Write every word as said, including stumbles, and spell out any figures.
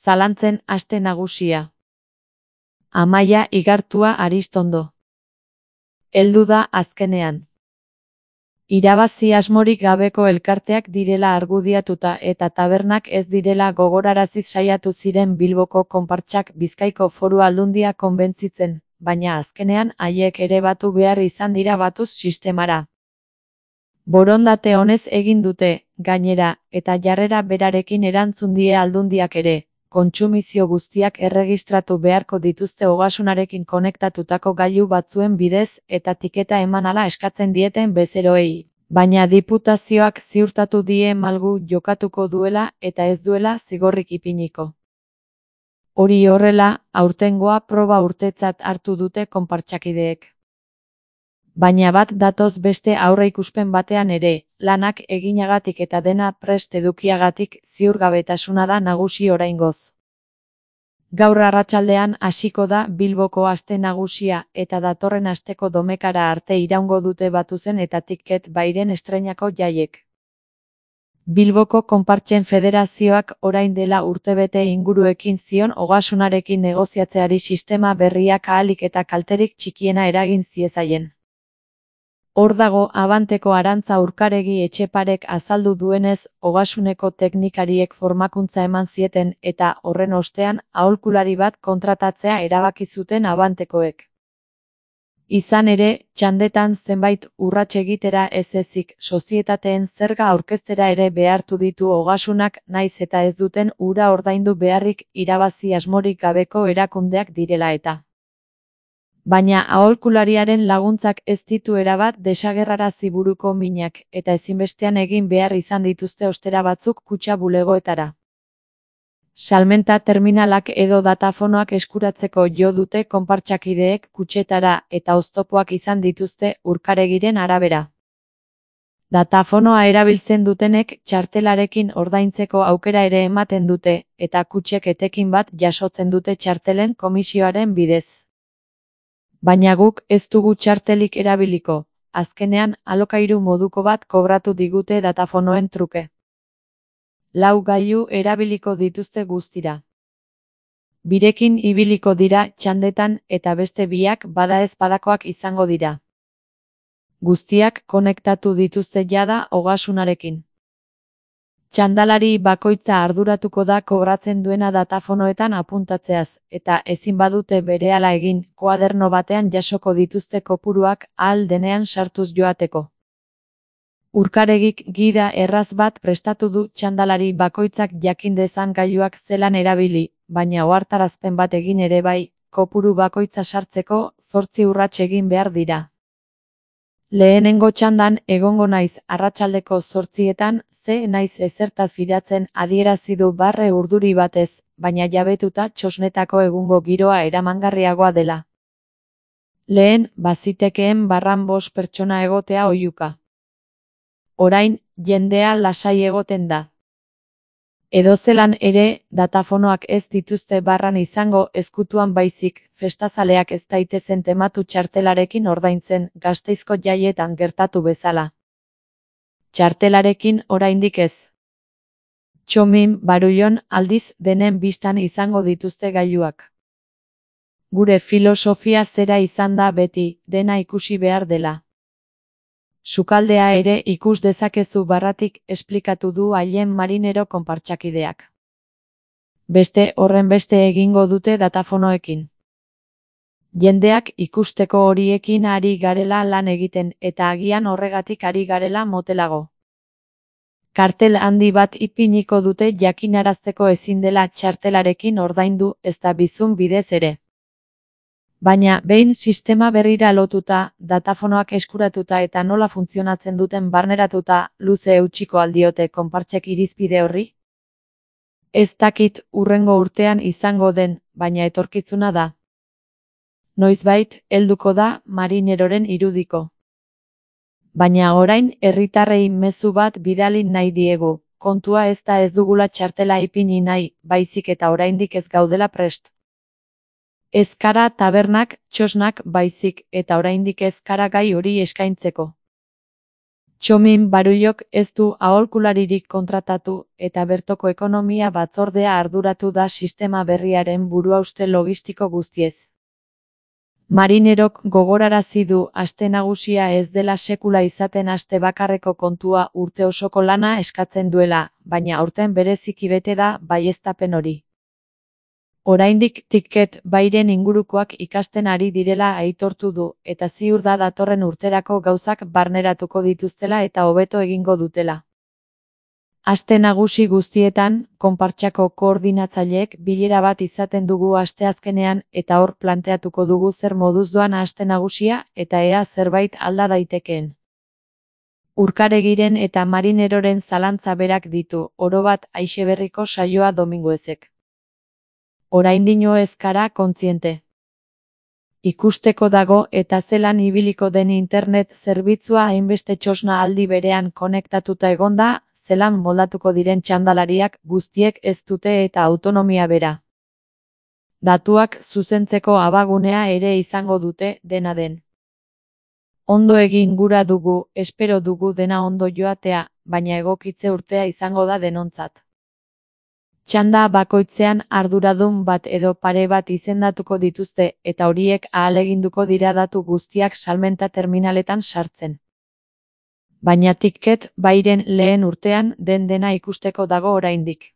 Zalantzen aste nagusia. Amaia Igartua Aristondo. Heldu da azkenean. Irabazi asmorik gabeko elkarteak direla argudiatuta eta tabernak ez direla gogoraraziz saiatu ziren Bilboko konpartsak Bizkaiko Foru Aldundia konbentzitzen, baina azkenean haiek ere batu behar izan dira batuz sistemara. Borondate honez egin dute, gainera, eta jarrera berarekin erantzun die Aldundiak ere, kontsumizio guztiak erregistratu beharko dituzte ogasunarekin konektatutako gailu batzuen bidez eta tiketa eman ala eskatzen dieten bezeroei, baina diputazioak ziurtatu die malgu jokatuko duela eta ez duela zigorrik ipiniko. Hori horrela, aurtengoa proba urtetzat hartu dute konpartsakideek. Baina bat datoz beste aurreikuspen batean ere, lanak eginagatik eta dena prest edukiagatik ziurgabetasuna da nagusi oraingoz. Gaur arratsaldean hasiko da Bilboko aste nagusia eta datorren asteko domekara arte iraungo dute Batuzen eta Ticket Bairen estreinako jaiek. Bilboko Konpartsen Federazioak orain dela urtebete inguru ekin zion ogasunarekin negoziatzeari sistema berriak ahalik eta kalterik txikiena eragin ziezaien. Hor dago Abanteko Arantza Urkaregi Etxeparek azaldu duenez, ogasuneko teknikariek formakuntza eman zieten eta horren ostean aholkulari bat kontratatzea erabaki zuten Abantekoek. Izan ere, txandetan zenbait urrats egitera ez ezik sozietateen zerga aurkeztera ere behartu ditu ogasunak naiz eta ez duten ura ordaindu beharrik irabazi asmorik gabeko erakundeak direla eta. Baina aholkulariaren laguntzak ez ditu erabat desagerrarazi buruko minak eta ezinbestean egin behar izan dituzte ostera batzuk kutxa bulegoetara. Salmenta terminalak edo datafonoak eskuratzeko jo dute konpartsakideek kutxetara eta oztopoak izan dituzte Urkaregiren arabera. Datafonoa erabiltzen dutenek txartelarekin ordaintzeko aukera ere ematen dute eta kutxek etekin bat jasotzen dute txartelen komisioaren bidez. Baina guk ez dugu txartelik erabiliko, azkenean alokairu moduko bat kobratu digute datafonoen truke. Lau gailu erabiliko dituzte guztira. Birekin ibiliko dira txandetan eta beste biak bada ez badakoak izango dira. Guztiak konektatu dituzte jada ogasunarekin. Txandalari bakoitza arduratuko da kobratzen duena datafonoetan apuntatzeaz, eta ezin badute berehala egin, koaderno batean jasoko dituzte kopuruak ahal denean sartuz joateko. Urkaregik gida erraz bat prestatu du txandalari bakoitzak jakin dezan gailuak zelan erabili, baina ohartarazpen bat egin ere bai, kopuru bakoitza sartzeko zortzi urrats egin behar dira. Lehenengo txandan egongo naiz arratsaldeko zortzietan, ze naiz ezertaz fidatzen adierazi du barre urduri batez, baina jabetuta txosnetako egungo giroa eramangarriagoa dela. Lehen, bazitekeen barran bost pertsona egotea oihuka. Orain, jendea lasai egoten da. Edozelan ere, datafonoak ez dituzte barran izango ezkutuan baizik, festazaleak ez daitezen tematu txartelarekin ordaintzen Gasteizko jaietan gertatu bezala. Txartelarekin oraindik ez. Txomin, Barullon, aldiz denen bistan izango dituzte gailuak. Gure filosofia zera izan da beti, dena ikusi behar dela. Sukaldea ere ikus dezakezu barratik esplikatu du Ailen Marinero konpartsakideak. Beste horren beste egingo dute datafonoekin. Jendeak ikusteko horiekin ari garela lan egiten eta agian horregatik ari garela motelago. Kartel handi bat ipiniko dute jakinarazteko ezin dela txartelarekin ordaindu ezta bizun bidez ere. Baina behin sistema berrira lotuta, datafonoak eskuratuta eta nola funtzionatzen duten barneratuta, luze eutsiko aldiote konpartsek irizpide horri? Ez dakit hurrengo urtean izango den, baina etorkizuna da. Noizbait, helduko da Marineroren irudiko. Baina orain herritarrei mezu bat bidali nahi diegu, kontua ez da ez dugula txartela ipini nahi, baizik eta oraindik ez gaudela prest. Ez kara tabernak, txosnak baizik eta oraindik ez kara gai hori eskaintzeko. Txomin Barullok ez du aholkularirik kontratatu eta bertoko ekonomia batzordea arduratu da sistema berriaren buruhauste logistiko guztiez. Marinerok gogorarazi du aste nagusia ez dela sekula izaten aste bakarreko kontua urte osoko lana eskatzen duela, baina aurten bereziki bete da baieztapen hori. Oraindik Ticket Buyren ingurukoak ikasten ari direla aitortu du, eta ziur da datorren urterako gauzak barneratuko dituztela eta hobeto egingo dutela. Aste nagusi guztietan, konpartsako koordinatzaileek bilera bat izaten dugu asteazkenean eta hor planteatuko dugu zer moduz doan aste nagusia eta ea zerbait alda daitekeen. Urkaregiren eta Marineroren zalantza berak ditu, orobat Aixeberriko saioa Dominguezek. Oraindino ez gara kontziente. Ikusteko dago eta zelan ibiliko den internet zerbitzua hainbeste txosna aldi berean konektatuta egonda, zelan moldatuko diren txandalariak guztiek ez dute eta autonomia bera. Datuak zuzentzeko abagunea ere izango dute, dena den. Ondo egin gura dugu, espero dugu dena ondo joatea, baina egokitze urtea izango da denontzat. Txanda bakoitzean arduradun bat edo pare bat izendatuko dituzte eta horiek ahaleginduko dira datu guztiak salmenta terminaletan sartzen. Baina Ticket Buyren lehen urtean den dena ikusteko dago oraindik.